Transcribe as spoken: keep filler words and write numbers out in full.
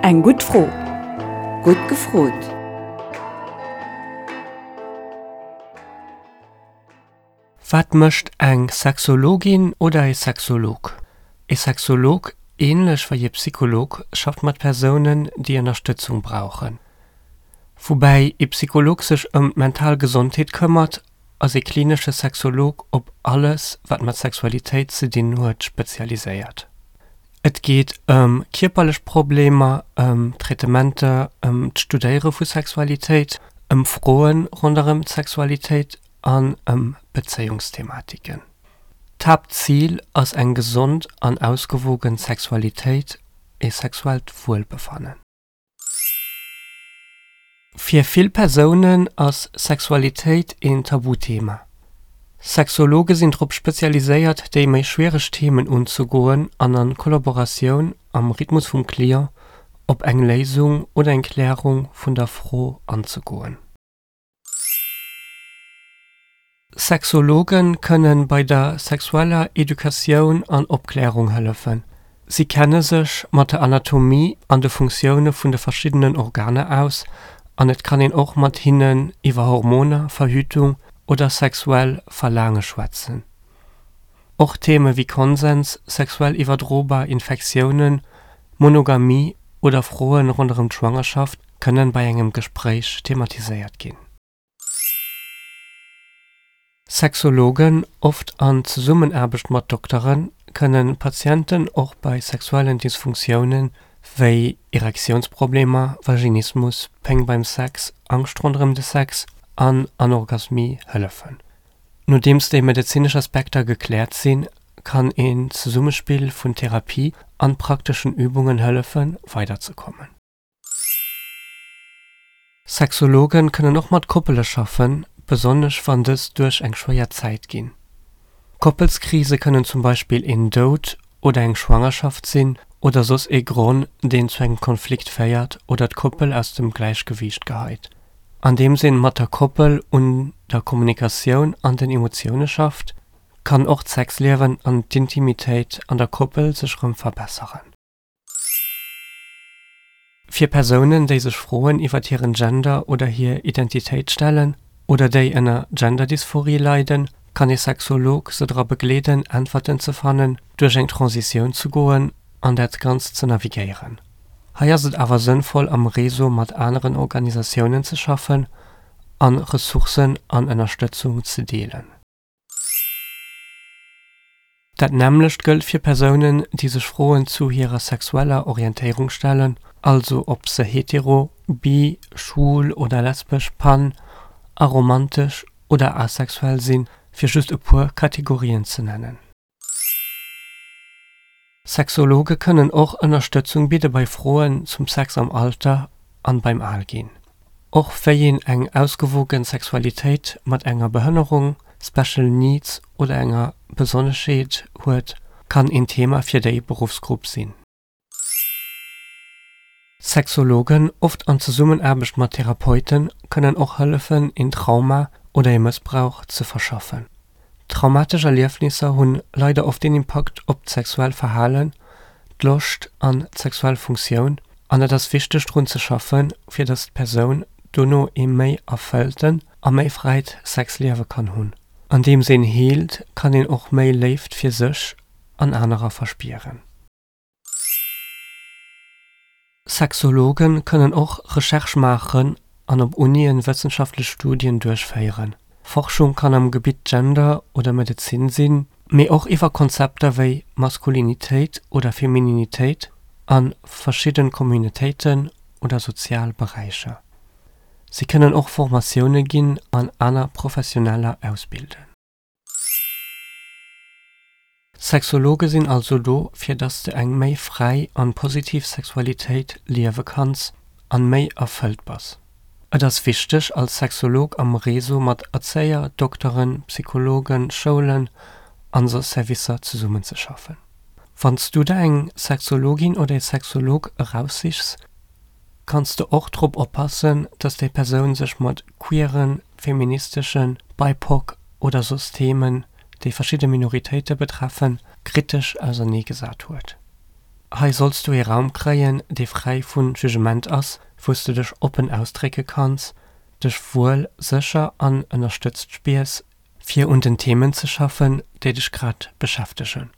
Eng gutt Fro. Gutt gefrot! Wat mécht eng Sexologin oder e Sexolog? E Sexolog, änlech wéi e Psycholog, schafft mat Persounen, déi Ënnerstëtzung brauchen. Woubäi e Psycholog sech ëm d'mental Gesondheet këmmert, ass e klinesche Sexolog op alles, wat mat Sexualitéit ze dinn huet, spezialiséiert. Et geet ëm kierperlech Problemer, ëm Traitementer, ëm d'Studéiere vu Sexualitéit, ëm Froe ronderëm d'Sexualitéit an ëm Bezéiungsthematiken. D'Haaptzil ass eng gesond an ausgewogen Sexualitéit, e sexuellt Wuelbefannen. Fir vill Persounen ass Sexualitéit een Tabuthema. Sexologe sinn drop spezialiséiert, déi méi schwiereg Themen unzegoen an a Kollaboratioun am Rhythmus vum Client op eng Léisung oder eng Klärung vun der Fro anzegoen. Sexologe kënne bei der sexueller Educatioun an Opklärung hëllefen. Si kenne sech mat der Anatomie an de Funktioune vun de verschiddenen Organer aus an et kann een och mat hinnen iwwer Hormoner, Verhütung oder sexuell Verlaange schwätzen. Och Theme wéi Konsens, sexuell iwwerdrobar Infektiounen, Monogamie oder Froe ronderëm d'Schwangerschaft kënnen bei engem Gespréich thematiséiert ginn. Sexologen, oft an Zesummenaarbecht mat Dokteren, kënnen Patienten och bei sexuellen Dysfunktiounen, wéi Erektiounsproblemer, Vaginismus, Péng beim Sex, Angscht ronderëm de Sex an Anorgasmie hëllefen. Nodeems déi medezinesch Aspekter gekläert sinn, kann een Zesummespill vun Therapie an prakteschen Übungen hëllefen, weiderzekommen. Sexologen kënnen och mat Koppele schaffen, besonnesch wann dës duerch eng schwéier Zäit ginn. Koppelskrise kënnen zum Beispill een Doud oder eng Schwangerschaft sinn oder soss ee Gronn, deen zu engem Konflikt féiert oder d'Koppel aus dem Gläichgewiicht geheit. Andeems een mat der Koppel un der Kommunikatioun an den Emotioune schafft, kann och d'Sexliewen an d'Intimitéit an der Koppel sech rëm verbesseren. Fir Persounen, déi sech Froen iwwert hiren Gender oder hir Identitéit stellen oder déi ënner Genderdysphorie leiden, kann ee Sexolog se dra begleeden, Äntwerten ze fannen, duerch eng Transitioun ze goen an dat Ganzt ze navigéieren. Hei ass et awer sënnvoll am Réseau mat aneren Organisatiounen ze schaffen an Ressourcen an Ënnerstëtzung ze deelen. Dat nämmlecht gëllt fir Persounen, déi sech Froen zu hirer sexueller Orientéierung stellen, also ob se hetero, bi, schwul oder lesbesch, pan, aromantesch oder asexuell sinn, fir just e puer Kategorien ze nennen. Sexologe kënnen och Ënnerstëtzung bidde bei Froen zum Sex am Alter an beim Alginn. Och wéi een eng ausgewogen Sexualitéit mat enger Behënnerung, Special Needs oder enger Besonneschheet huet, kann een Thema fir déi Beruffsgrupp sinn. Sexologen, oft an Zesummenaarbecht mat Therapeuten, kënnen och hëllefen, een Trauma oder ee Mëssbrauch ze verschaffen. Traumatesch Erliefnisser hunn leider oft een Impakt op d'sexuell Verhalen, d'Loscht an d'sexuell Funktioun an et ass wichteg drun ze schaffen, fir dass d'Persoun dono ee méi erfëllten a méi fräit Sexliewe kann hunn. Andeems een heelt, kann een och méi Léift fir sech an anerer verspieren. Sexologen kënnen och Recherche maachen an op Unien wëssenschaftlech Studien duerchféieren. Forschung kann am Gebitt Gender oder Medezin sinn, mee och iwwer Konzepter wéi Maskulinitéit oder Femininitéit a verschidde Communautéiten oder sozial Beräicher. Si kënnen och Formatioune ginn an aner Professioneller ausbilden. Sexologe sinn also do, fir dass de eng méi fräi an positiv Sexualitéit liewe kanns an méi erfëllt bass. Et ass wichteg, als Sexolog am Réseau mat Erzéier, Dokteren, Psychologen, Schoulen an soss Servicer zesummenzeschaffen. Wann s du der eng Sexologin oder ee Sexolog eraussichs, kanns de och drop oppassen, dass déi Persoun sech mat queeren, feministeschen, BIPOC oder soss Themen, déi verschidde Minoritéite betreffen, kritesch auserneegesat huet. Hei solls du ee Raum kréien, dee fräi vu Jugement ass, wou s du dech oppen ausdrécke kanns, dech wuel, sécher an ënnerstëtzt spiers, fir un den Themen ze schaffen, déi dech grad beschäftegen.